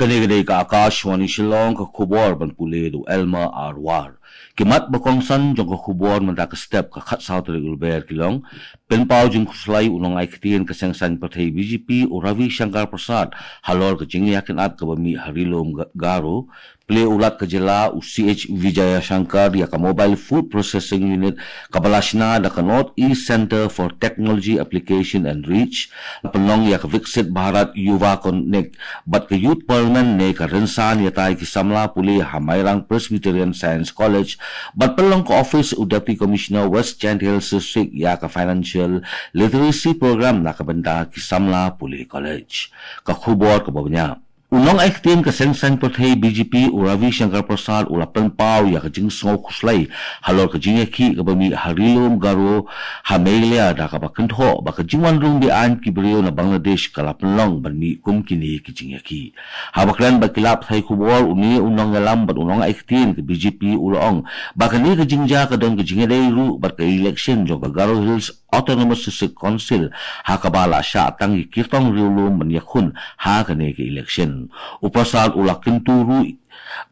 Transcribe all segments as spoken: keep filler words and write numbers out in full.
Kane ka dei ka Akashvani Shillong, ka khubor ban pule da u Elmer Arwar. Ki mat ba kongsan jong ka khubor mynta ka step ka khatsaw tarik u Lber ki long: pynpaw jingkhuslai u nongai ktien ka seng saiñ pyrthei B J P u Ravi Shankar Prasad halor ka jingïakynad kaba mih ha Ri Lum Ga-, Garo. Plie u Lat ka jylla u C H Vijayashankar ïa ka Mobile Food Processing Unit kaba la shna da ka North East Centre for Technology Application and Reach. Pynlong ïa ka Viksit Bharat Yuva Connect bad ka Youth Parliament ne ka rynsan ïatai ki samla pule ha Mairang Presbyterian Science College. Bad pynlong ka office u Deputy Commissioner West Jaintia Hills District ïa ka Financial Literacy Program na ka bynta ki samla pule college. Ka khubor kaba bniah. U nongai ktien ka seng saiñ pyrthei B J P u Ravi Shankar Prasad u la pynpaw ïa ka jingsngew khuslai halor ka jingïakhih kaba mih ha Ri Lum Garo ha Meghalaya, da kaba kynthoh ba ka jingwan rung be-aiñ ki briew na Bangladesh ka la pynlong ban mih kum kine ki jingïakhih. Haba kren bad ki lad pathai khubor, une u nongïalam bad u nongai ktien ka B J P u la ong ba kane ka jingjia ka don ka jingïadei ruh bad ka election jong ka Garo Hills Autonomous District Council, ha kaba la shah tang ïa ki kyrtong riewlum ban ïakhun ha kane ka election. U Prasad u la kyntu ruh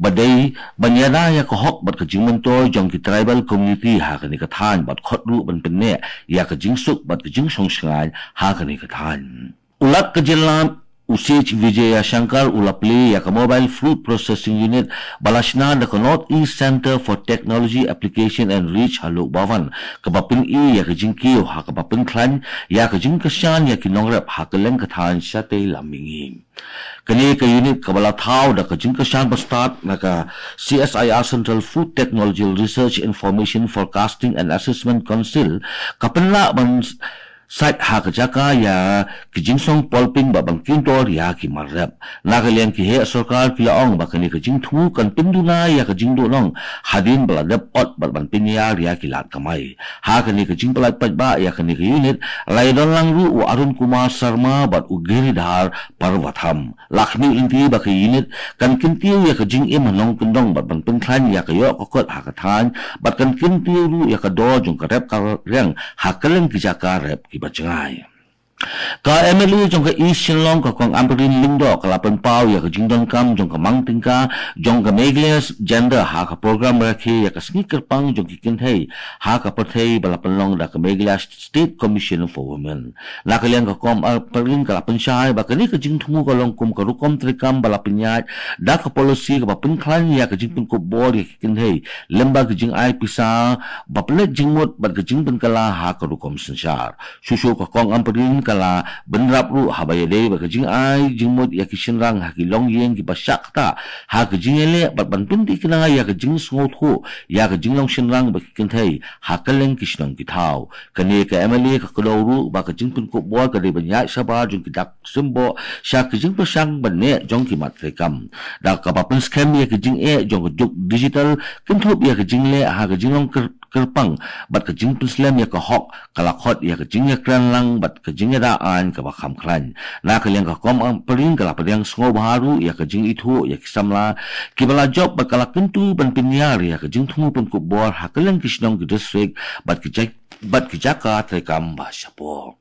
ba dei ban ïada ïa ka hok bad ka jingmyntoi jong ki tribal community ha kane ka thaiñ bad khot ruh ban pynneh ïa ka jingsuk bad ka jingshong shngaiñ ha kane ka thaiñ. U Lat ka jylla u C H Vijayashankar u la plie ïa ka Mobile Food Processing Unit ba la shna da ka North East Centre for Technology Application and Reach ha Lok Bhavan, kaba pyni ïa ka jingkiew ha kaba pynkhlaiñ ïa ka jingkyrshan ïa ki nongrep ha kylleng ka thaiñ shatei lam mihngi. Kane ka unit kaba la thaw da ka jingkyrshan bastad na ka C S I R Central Food Technological Research Information Forecasting and Assessment Council ka pynlah ban sait ha ka jaka ïa ki jingsong polping bad ban kyntur ïa ki mar rep. Na ka liang ki heh sorkar ki la ong ba kane ka jingthmu kan pynduna ïa ka jingduhnong hadien ba la dep ot bad ban pynïar ïa ki lad kamai. Ha kane ka jingpyllait paidbah ïa kane ka unit la ïadon lang ruh u Arun Kumar Sharma bad u Giridhar Parvatham. La khmih lynti ba ka unit kan kyntiew ïa ka jingim ha nongkyndong bad ban pynkhlaiñ ïa ka ïoh ka kot ha ka thaiñ bad kan kyntiew ruh ïa ka dor jong ka rep ka riang ha kylleng ki jaka rep kiba jngai. Ka M L A jong ka East Shillong, ka Kong Ampareen Lyngdoh, ka la pynpaw ïa ka jingdonkam jong ka mang tyngka jong ka Meghalaya Gender ha ka program rakhe ïa ka sngi kyrpang jong ki kynthei ha ka pyrthei ba la pynlong da ka Meghalaya State Commission for Women. Na ka liang ka Kong Ampareen ka la pynshai ba kane ka jingthmu ka long kum ka rukom treikam ba la pynïaid da ka policy kaba pynkhlaiñ ïa ka jingpynkup bor ïa ki kynthei lyngba ka jingai pisa ba pynleit jingmut bad ka jingpynkylla ha ka rukom synshar. Shuh shuh ka Kong Ampareen ka la bynrap ruh haba ïadei bad ka jingai jingmut ïa ki shynrang ha ki longïing kiba shah ktah ha ka jingïaleh bad ban pynthikna ïa ka jingsngewthuh ïa ka jinglong shynrang bad ki kynthei ha kylleng ki shnong ki thaw. Kane ka M L A ka kdew ruh ba ka jingpynkup bor ka dei ban ïaid shabar jong ki dak symboh sha ka jingpyrshang ban neh jong ki mat treikam, da kaba pynskhem ïa ka jingeh jong ka juk digital, kynthup ïa ka jingleh ha ka jinglong kyr-, kyrpang bad ka jingpynslem ïa ka hok, ka la khot ïa ka jingïakren lang bad ka jingïada aiñ kaba kham khlaiñ. Na ka liang ka Kong Ampareen ka la pdiang sngewbha ruh ïa ka jingithuh ïa ki samla kiba la jop bad ka la kyntu ban pynïar ïa ka jingthmu pynkup bor ha kylleng ki shnong ki district bad ki ja-, bad ki jaka treikam ba shapoh.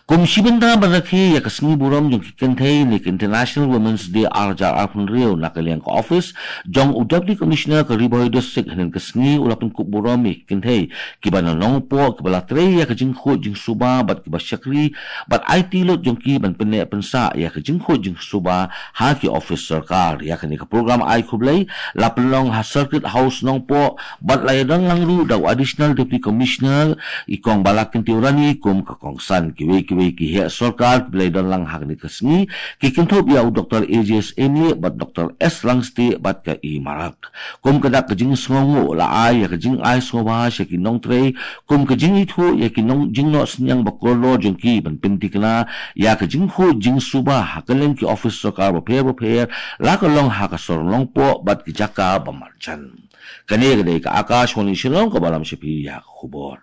Kum shi bynta ban rakhe ïa ka sngi burom jong ki kynthei ne ka International Women's Day ar hajar arphew hynriew, na ka liang ka office jong u Deputy Commissioner ka Ri Bhoi District hynnin ka sngi u la pynkup burom ïa ki kynthei kiba na Nongpoh kiba la trei ïa ka jingkhuid jingsuba bad kiba shakri bad aiti lut jong ki ban pynneh pynsah ïa ka jingkhuid jingsuba ha ki office sorkar. Ïa kane ka program ai khublei la pynlong ha Circuit House Nongpoh bad la ïadon lang ruh da u Additional Deputy Commissioner i Kong Balakyntiew Rani kum ka kongsan. Kiwei kiwei ki heh sorkar kiba la ïadon lang ha kane ka sngi ki kynthup ïa u Doctor A J S Amy bad Doctor S Langstieh bad ka E Marak. Kum ka dak ka jingsngewnguh la ai ïa ka jingai sngewbha sha ki nongtrei kum ka jingithuh ïa ki nong jingnoh synñiang ba kordor jong ki ban pynthikna ïa ka jingkhuid jingsuba ha kylleng ki office sorkar bapher bapher, la ka long ha ka sor Nongpoh bad ki jaka ba marjan. Kane ka dei ka Akashvani Shillong kaba lam sha phi ïa ka khubor.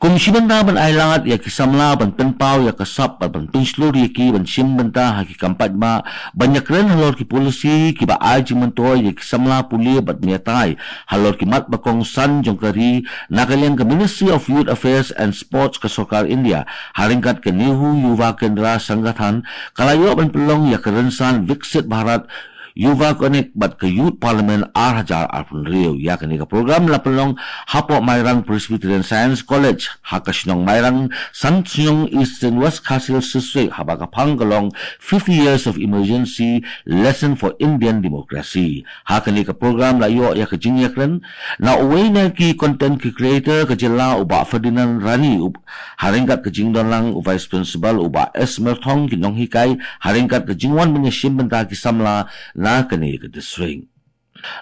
Kum shi bynta ban ailad ïa ki samla ban pynpaw ïa ka sap bad ban pynshlur ïa ki ban shim bynta ha ki kam paidbah, ban ïakren halor ki polisi kiba ai jingmyntoi ïa ki samla pule bad mih ïatai halor ki mat ba kongsan jong ka ri, na ka liang ka Ministry of Youth Affairs and Sports ka Sorkar India, ha ryngkat ka Nehru Yuva Kendra Sangathan, ka la ïoh ban pynlong ïa ka rynsan Viksit Bharat Yuva Connect bad ka Youth Parliament ar hajar arphew hynriew. Ïa kane ka program la pynlong hapoh Mairang Presbyterian Science College, ha ka shnong Mairang, San Shnong, Eastern West Khasi Hills District, haba ka phang ka long Fifty Years of Emergency, Lesson for Indian Democracy. Ha kane ka program la ïoh ïa ka jingïakren na uwei na ki content ki creator ka jylla u Bah Ferdinand Rani, u, ha ryngkat ka jingdon lang u Vice Principal u Bah S Merthong, ki nonghikai, ha ryngkat ka jingwan ban ïashim bynta ki samla na kane ka district.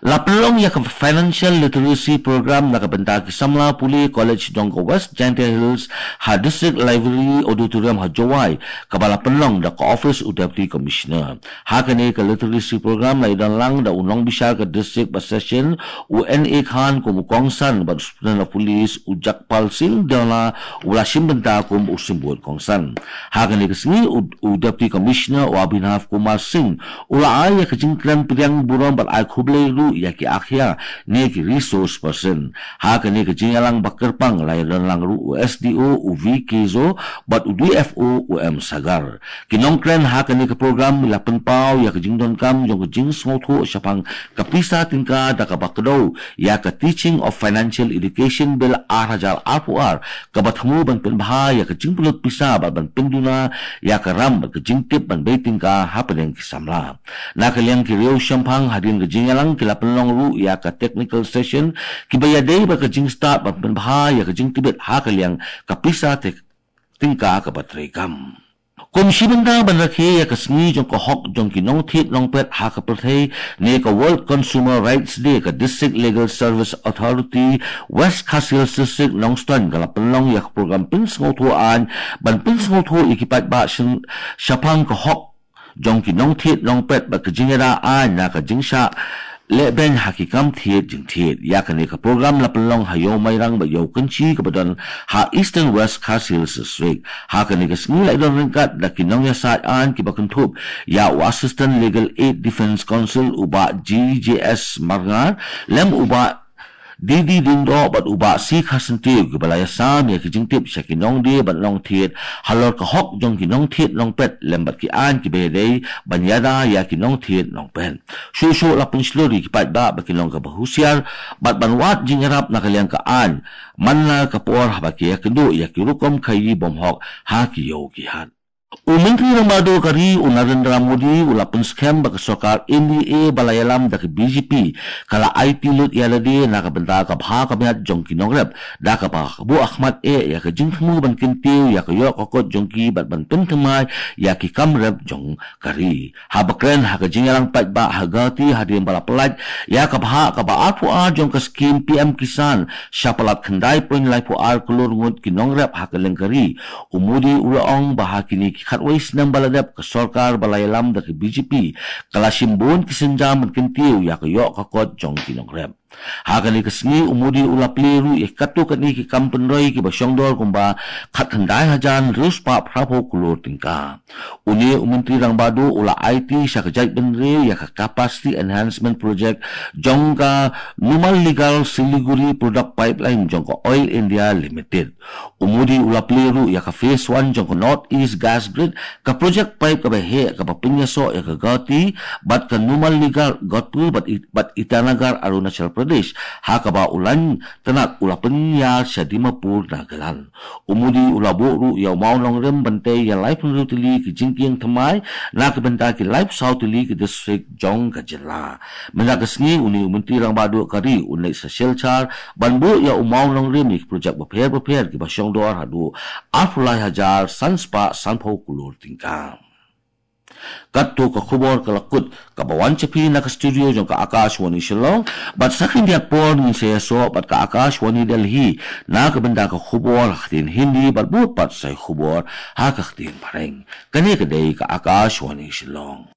La pynlong ïa ka Financial Literacy Program na ka bynta ki samla pule college jong ka West Jaintia Hills ha District Library Auditorium ha Jowai, kaba la pynlong da ka office u Deputy Commissioner. Ha kane ka Literacy Program la ïadon lang da u nongbishar ka district ba session u N A Khan kum u kongsan bad Superintendent of Police u Jagpal Singh Dhanoa u la shim bynta kum u symbud kongsan. Ha kane ka sngi u, u Deputy Commissioner u Abhinav Kumar Singh u la ai ïa ka jingkren pdiang burom bad ai khublei ruh ïa ki akhia ne ki resource person. Ha kane ka jingïalang ba kyrpang la ïadon lang ruh u S D O u V K Zo bad u D F O u M Sagar. Ki nongkren ha kane ka program la pynpaw ïa ka jingdonkam jong ka jingsngewthuh shaphang ka pisa tyngka da kaba kdew ïa ka Teaching of Financial Education Bill ar hajar arphew ar, kaba thmu ban pynbha ïa ka jingpynlut pisa bad ban pynduna ïa ka ram bad ka jingtip ban bei tyngka hapdeng ki samla. Na ka liang ki riew shemphang hadien ka jingïalang ki la pynlong ruh ïa ka technical session kiba ïadei bad ka jingstad ban pynbha ïa ka jingtbit ha ka liang ka pisa te-, tyngka kaba treikam. Kum shi bynta ban rakhe ïa ka sngi jong ka hok jong ki nongthied nongpet ha ka pyrthei ne ka World Consumer Rights Day, ka District Legal Service Authority West Khasi Hills District Nongstoiñ ka la pynlong ïa ka program pynsngewthuh aiñ ban pynsngewthuh ïa ki paidbah shen-, shaphang ka hok jong ki nongthied nongpet bad ka jingïada aiñ na ka jingshah lehbeiñ ha ki kam thied jingthied. Ïa kane ka program la pynlong ha Ïew Mairang bad Ïew Kynshi kaba don ha Eastern West Khasi Hills District. Ha kane ka sngi la ïadon ryngkat da ki nongïasaid aiñ kiba kynthup ïa u Assistant Legal Aid Defence Counsel u Bah G J S Marngar, lem u Bah D D Diengdoh bad u Bah C Kharsyntiew kiba la ïasam ïa ki jingtip sha ki nongdie bad nongthied halor ka hok jong ki nongthied nongpet lem bad ki aiñ kiba ïadei ban ïada ïa ki nongthied nongpet. Shuh shuh la pynshlur ïa ki paidbah ba kin long kaba husiar bad ban wad jingïarap na ka liang ka aiñ man la ka por haba ki ïakynduh ïa ki rukom khaïi bymhok ha ki ïew ki hat. U Myntri Rangbah Duh ka ri u Narendra Modi u la pynskhem ba ka sorkar N D A ba la ïalam da ka B J P ka la aiti lut ïa lade na ka bynta ka bha ka miat jong ki nongrep, da kaba ka buh khmat eh ïa ka jingthmu ban kyntiew ïa ka ïoh ka kot jong ki bad ban pynthymmai ïa ki kam rep jong ka ri. Haba kren ha ka jingïalang paidbah ha Guwahati hadien ba la pyllait ïa ka bhah kaba arphew ar jong ka skim P M Kisan sha palat khyndai point laiphew ar klur ngut ki nongrep ha kylleng ka ri, u Modi u la ong ba ha kine ki khatwei snem ba la dep ka sorkar ba la ïalam da ka B J P ka la shim bun ki sienjam ban kyntiew ïa ka ïoh ka kot jong ki nongrep. Ha kane ka sngi u Modi u la plie ruh ïa katto katne ki kam pynroi kiba shongdor kumba khatkhyndai hajar hynriew spah phraphew klur tyngka. Une u Myntri Rangbah Duh u la aiti sha ka jaitbynriew ïa ka Capacity Enhancement Project jong ka Numaligarh Siliguri Product Pipeline jong ka Oil India Limited. U Modi u la plie ruh ïa ka phase one jong ka North East Gas Grid, ka project pipe kaba heh kaba pynïasoh ïa ka Guwahati bad ka Numaligarh Godpur bad It-, bad Itanagar Arunachal Pradesh, ha kaba u lain tnat u la pynïar sha Dimapur Nagaland. U Modi u la buh ruh ïa u mawnongrim ban tei ïa laiphew hynriew tylli ki jingkieng thymmai na ka bynta ki laiphew saw tylli ki district jong ka jylla. Mynta ka sngi une u Myntri Rangbah Duh ka ri un leit sha Silchar ban buh ïa u mawnongrim ïa ki project bapher bapher kiba shongdor haduh arphew lai hajar san spah sanphew klur tyngka. Katto ka khubor ka la kut, kaba wan sha phi na ka studio jong ka Akashvani Shillong, bad sa khyndiat por ngin sa ïasoh bad ka Akashvani Delhi na ka bynta ka khubor ha ka ktien Hindi bad bud pat sa ïa ka khubor ha ka ktien Phareng. Kane ka dei ka Akashvani Shillong.